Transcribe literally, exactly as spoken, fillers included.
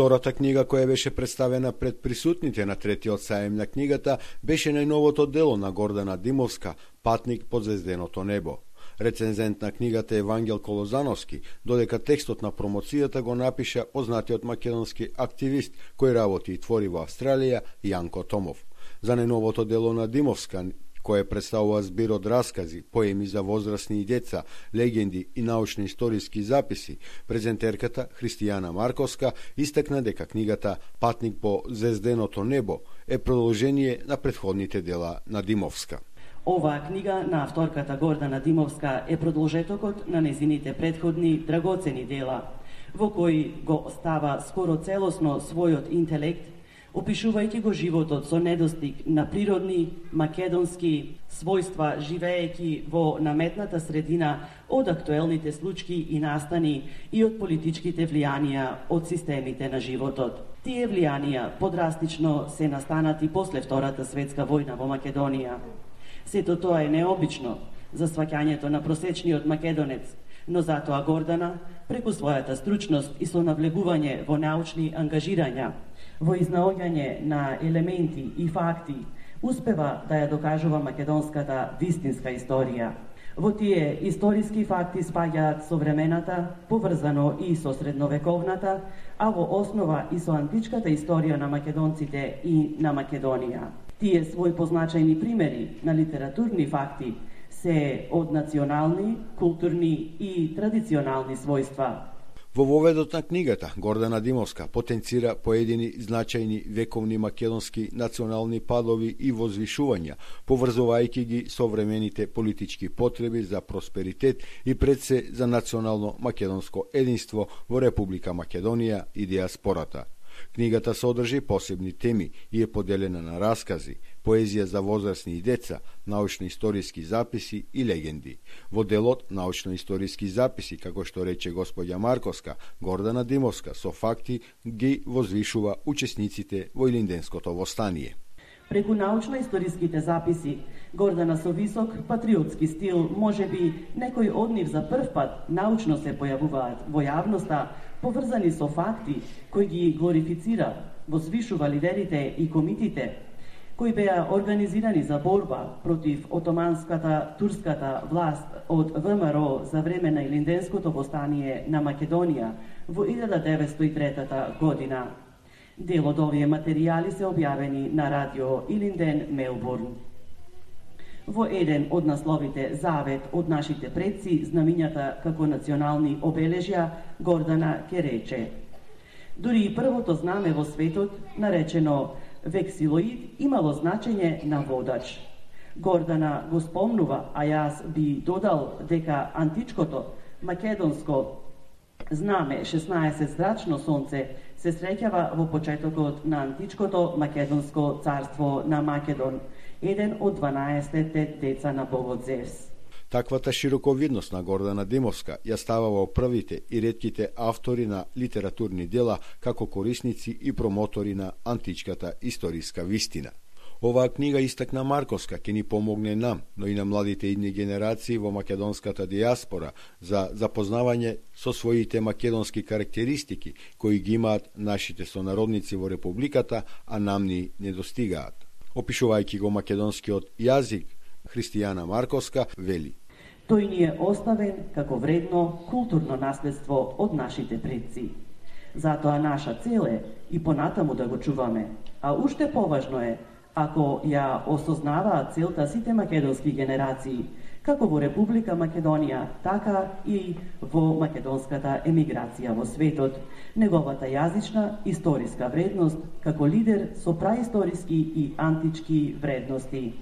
Втората книга која беше представена пред присутните на третиот саем на книгата беше најновото дело на Гордана Димовска «Патник под звезденото небо». Рецензент на книгата Евангел Колозановски, додека текстот на промоцијата го напиша познатиот македонски активист кој работи и твори во Австралија Јанко Томов. За најновото дело на Димовска, кое представува збир од раскази, поеми за возрастни и деца, легенди и научно-историски записи, презентерката Христијана Марковска истакна дека книгата «Патник по звезденото небо» е продолжение на претходните дела на Димовска. Оваа книга на авторката Гордана Димовска е продолжетокот на незините претходни драгоцени дела, во кои го става скоро целосно својот интелект, опишувајќи го животот со недостиг на природни, македонски својства, живеејќи во наметната средина од актуелните случаи и настани и од политичките влијанија од системите на животот. Тие влијанија подрастично се настанати после Втората светска војна во Македонија. Сето тоа е необично за сваќањето на просечниот македонец, но затоа Гордана, преку својата стручност и со навлегување во научни ангажирања, во изнаоѓање на елементи и факти, успева да ја докажува македонската вистинска историја. Во тие историски факти спаѓаат современата, поврзано и со средновековната, а во основа и со античката историја на македонците и на Македонија. Тие свој позначајни примери на литературни факти се од национални, културни и традиционални својства. Во воведот на книгата Гордана Димовска потенцира поедини значајни вековни македонски национални падови и возвишувања, поврзувајќи ги современите политички потреби за просперитет и пред се за национално македонско единство во Република Македонија и диаспората. Книгата содржи посебни теми и е поделена на раскази, поезија за возрастни и деца, научно-историски записи и легенди. Во делот научно-историски записи, како што рече господја Марковска, Гордана Димовска со факти ги возвишува учесниците во Илинденското востание. Преку научно-историските записи, Гордана со висок патриотски стил, можеби некои од нив за прв пат научно се појавуваат во јавноста, поврзани со факти кои ги глорифицира, возвишува лидерите и комитите, кои беа организирани за борба против отоманската турската власт од ВМРО за време на Илинденското востание на Македонија во илјада деветстотини и трета година. Дел од овие материјали се објавени на радио Илинден, Мелбурн. Во еден од насловите «Завет од нашите предци, знамињата како национални обележја», Гордана ке рече: дури и првото знаме во светот, наречено вексилоид, имало значење на водач. Гордана го спомнува, а јас би додал дека античкото македонско знаме шеснаесет зрачно сонце се среќава во почетокот на античкото македонско царство на Македон, еден од дванаесетте деца на богот Зевс. Таквата широковидност на Гордана Димовска ја става во првите и ретките автори на литературни дела како корисници и промотори на античката историска вистина. Оваа книга, истакна Марковска, ќе ни помогне нам, но и на младите идни генерации во македонската диаспора за запознавање со своите македонски карактеристики кои ги имаат нашите сонародници во републиката, а нам ни недостигаат. Опишувајќи го македонскиот јазик, Христијана Марковска вели: тој ни е оставен како вредно културно наследство од нашите предци. Затоа наша цел е и понатаму да го чуваме, а уште поважно е ако ја осознаваат целта сите македонски генерации, како во Република Македонија, така и во македонската емиграција во светот, неговата јазична историска вредност како лидер со праисториски и антички вредности.